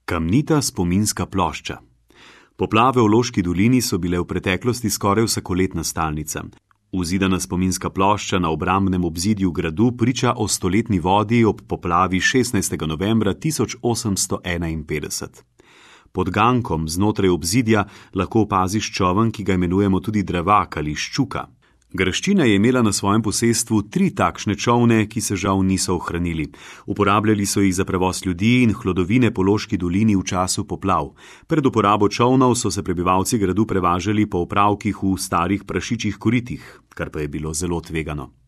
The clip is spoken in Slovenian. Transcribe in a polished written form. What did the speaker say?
Kamnita spominska plošča. Poplave v Loški dolini so bile v preteklosti skoraj vsakoletna stalnica. Vzidana spominska plošča na obrambnem obzidju gradu priča o stoletni vodi ob poplavi 16. novembra 1851. Pod gankom znotraj obzidja lahko opaziš čoln, ki ga imenujemo tudi Dravak ali Ščuka. Graščina je imela na svojem posestvu 3 takšne čolne, ki se žal niso ohranili. Uporabljali so jih za prevoz ljudi in hlodovine po Loški dolini v času poplav. Pred uporabo čolnov so se prebivalci gradu prevažali po opravkih v starih prašičjih koritih, kar pa je bilo zelo tvegano.